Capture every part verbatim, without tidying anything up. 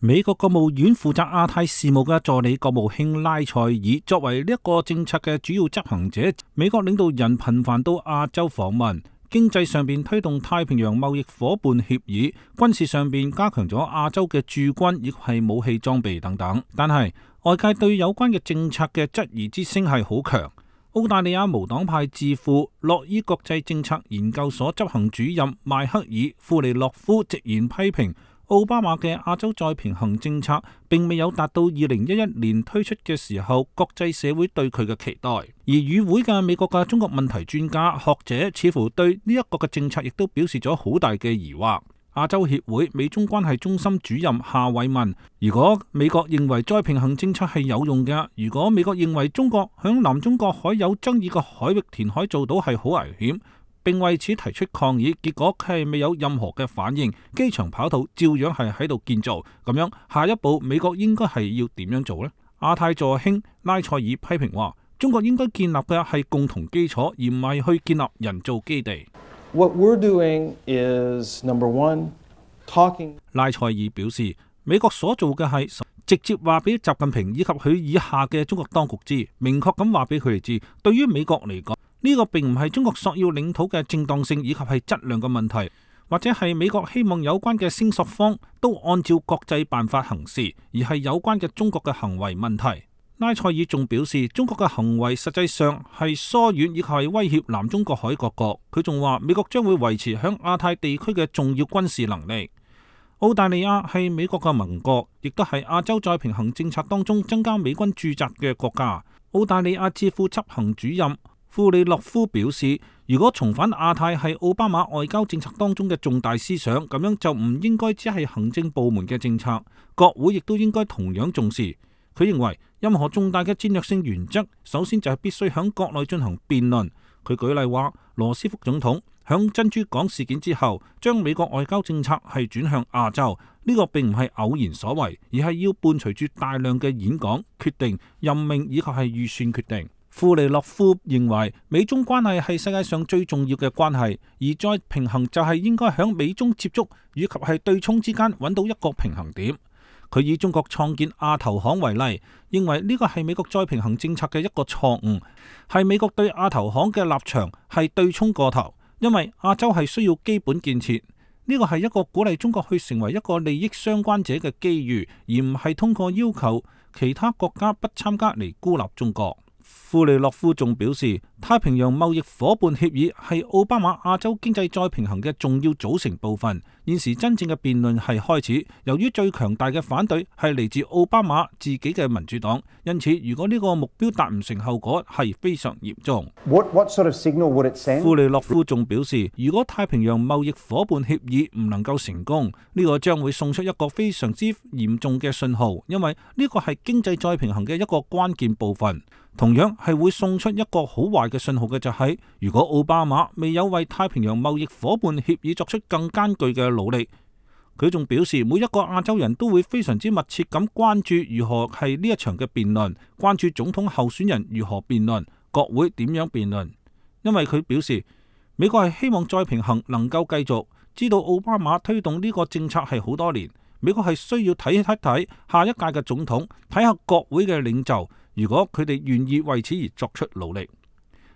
美國國務院負責亞太事務嘅助理國務卿拉塞爾作為呢一個政策嘅主要執行者，美國領導人頻繁到亞洲訪問，經濟上邊推動太平洋貿易夥伴協議，軍事上邊加強咗亞洲嘅駐軍亦係武器裝備等等。但係外界對有關嘅政策嘅質疑之聲係好強。澳大利亞無黨派智庫洛伊國際政策研究所執行主任邁克爾·庫利諾夫直言批評奧巴馬嘅亞洲再平衡政策並未有達到二零一一年推出嘅時候國際社會對佢嘅期待，而與會嘅美國嘅中國問題專家學者似乎對呢一個嘅政策亦都表示咗好大嘅疑惑。亞洲協會美中關係中心主任夏偉問：如果美國認為再平衡政策係有用嘅，如果美國認為中國響南中國海有爭議嘅海域填海做到係好危險，並為此提出抗議，結果佢係未有任何嘅反應，機場跑道照樣係喺度建造，咁樣下一步美國應該係要點樣做呢？亞太助卿拉塞爾批評話：中國應該建立嘅係共同基礎，而唔係去建立人造基地。What we're doing is, number one, talking. 拉塞爾表示，美國所做嘅係直接話俾習近平以及佢以下嘅中國當局知，明確咁話俾佢哋知，對於美國嚟講，呢個並唔係中國索要領土嘅正當性以及係質量嘅問題，或者係美國希望有關嘅聲索方都按照國際辦法行事，而係有關嘅中國嘅行為問題。拉塞爾仲表示，中國嘅行為實際上係疏遠以及係威脅南中國海各國。佢仲話，美國將會維持響亞太地區嘅重要軍事能力。澳大利亞係美國嘅盟國，亦都係亞洲再平衡政策當中增加美軍駐紮嘅國家。澳大利亞智庫執行主任庫里諾夫表示，如果重返亞太係奧巴馬外交政策當中嘅重大思想，咁樣就唔應該只係行政部門嘅政策，國會亦都應該同樣重視。佢認為任何重大嘅戰略性原則，首先就係必須響國內進行辯論。佢舉例話，羅斯福總統響珍珠港事件之後，將美國外交政策係轉向亞洲，呢、這個並唔係偶然所為，而係要伴隨住大量嘅演講、決定、任命以及係預算決定。庫利諾夫認為美中關係係世界上最重要嘅關係，而再平衡就係應該響美中接觸以及係對沖之間揾到一個平衡點。佢以中國創建亞投行為例，認為呢個係美國再平衡政策嘅一個錯誤，係美國對亞投行嘅立場係對沖過頭，因為亞洲係需要基本建設，呢個係一個鼓勵中國去成為一個利益相關者嘅機遇，而唔係通過要求其他國家不參加嚟孤立中國。庫利諾夫仲表示，太平洋貿易夥伴協議係奧巴馬亞洲經濟再平衡嘅重要組成部分。現時真正嘅辯論係開始，由於最強大嘅反對係嚟自奧巴馬自己嘅民主黨，因此如果呢個目標達唔成，後果係非常嚴重。What, what sort of signal would it send? 庫利諾夫仲表示，如果太平洋貿易夥伴協議唔能夠成功，呢個將會送出一個非常之嚴重嘅信號，因為呢個係經濟再平衡嘅一個關鍵部分。同樣係會送出一個好壞嘅信號嘅就係，如果奧巴馬未有為太平洋貿易夥伴協議作出更艱巨嘅努力。佢仲表示，每一個亞洲人都會非常之密切咁關注如何係呢一場嘅辯論，關注總統候選人如何辯論，國會點樣辯論。因為佢表示，美國係希望再平衡能夠繼續，知道奧巴馬推動呢個政策係好多年，美國係需要睇一睇下一屆嘅總統，睇下國會嘅領袖，如果佢哋願意為此而作出努力。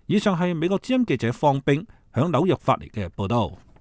以上係美國之音記者方冰響紐約發嚟嘅報道。